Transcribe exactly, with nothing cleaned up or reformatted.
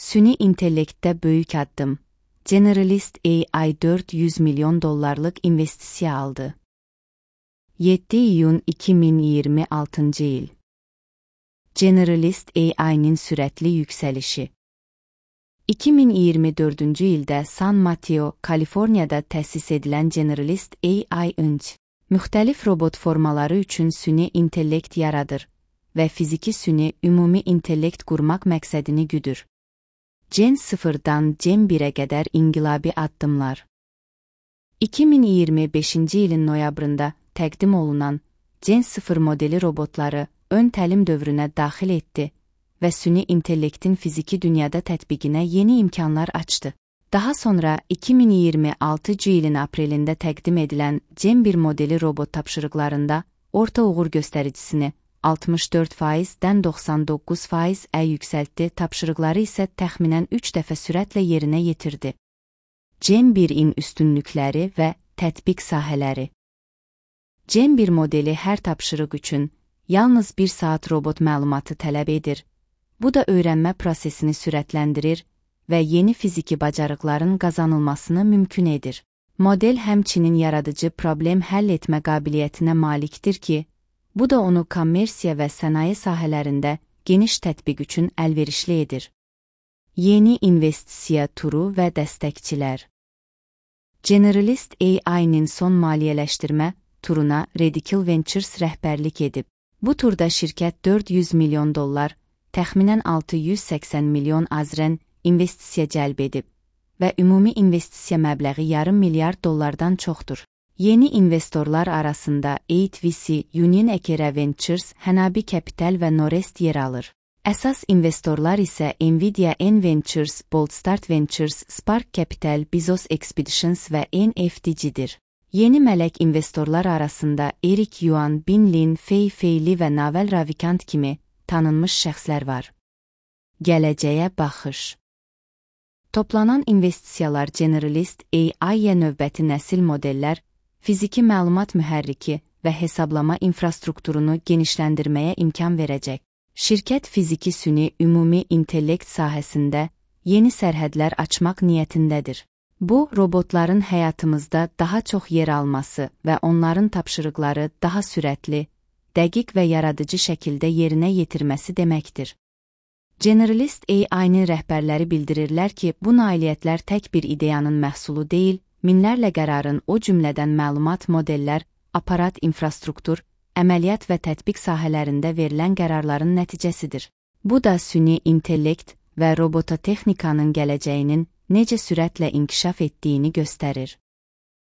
Süni intellektdə böyük addım. Generalist A I dört yüz milyon dollarlıq investisiya aldı. yeddi iyun iki min iyirmi altıncı il. Generalist A I'nin sürətli yüksəlişi. iki min iyirmi dördüncü ildə San Mateo, Kaliforniyada təsis edilən Generalist A I önc, müxtəlif robot formaları üçün süni intellekt yaradır və fiziki süni ümumi intellekt qurmaq məqsədini güdür. Gen sıfırdan Gen birə qədər inqilabi addımlar. iki min iyirmi beşinci ilin noyabrında təqdim olunan Gen sıfır modeli robotları ön təlim dövrünə daxil etdi və süni intellektin fiziki dünyada tətbiqinə yeni imkanlar açdı. Daha sonra iki min iyirmi altıncı ilin aprelində təqdim edilən Gen bir modeli robot tapşırıqlarında orta uğur göstəricisini altmış dörd faizdən doxsan doqquz faizə yüksəltdi, tapşırıqları isə təxminən üç dəfə sürətlə yerinə yetirdi. Gen birin üstünlükləri və tətbiq sahələri. Gen bir modeli hər tapşırıq üçün yalnız bir saat robot məlumatı tələb edir. Bu da öyrənmə prosesini sürətləndirir və yeni fiziki bacarıqların qazanılmasını mümkün edir. Model həmçinin yaradıcı problem həll etmə qabiliyyətinə malikdir ki, bu da onu kommersiya və sənaye sahələrində geniş tətbiq üçün əlverişli edir. Yeni investisiya turu və dəstəkçilər. Generalist A I'nin son maliyyələşdirmə turuna Radical Ventures rəhbərlik edib. Bu turda şirkət dörd yüz milyon dollar, təxminən altı yüz səksən milyon azrən investisiya cəlb edib və ümumi investisiya məbləği yarım milyard dollardan çoxdur. Yeni investorlar arasında eight V C, Union Ekera Ventures, Hanabi Capital və Norest yer alır. Əsas investorlar isə Nvidia N Ventures, Boldstart Ventures, Spark Capital, Bezos Expeditions və N F T C'dir. Yeni mələk investorlar arasında Eric Yuan, Bin Lin, Fei Fei Li və Naval Ravikant kimi tanınmış şəxslər var. Gələcəyə baxış. Toplanan investisiyalar Generalist A I-yə növbəti nəsil modellər, fiziki məlumat mühərriki və hesablama infrastrukturunu genişləndirməyə imkan verəcək. Şirkət fiziki süni ümumi intellekt sahəsində yeni sərhədlər açmaq niyyətindədir. Bu, robotların həyatımızda daha çox yer alması və onların tapşırıqları daha sürətli, dəqiq və yaradıcı şəkildə yerinə yetirməsi deməkdir. Generalist A I-nin rəhbərləri bildirirlər ki, bu nailiyyətlər tək bir ideyanın məhsulu deyil, minlərlə qərarın, o cümlədən məlumat modellər, aparat infrastruktur, əməliyyat və tətbiq sahələrində verilən qərarların nəticəsidir. Bu da süni intellekt və robototexnikanın gələcəyinin necə sürətlə inkişaf etdiyini göstərir.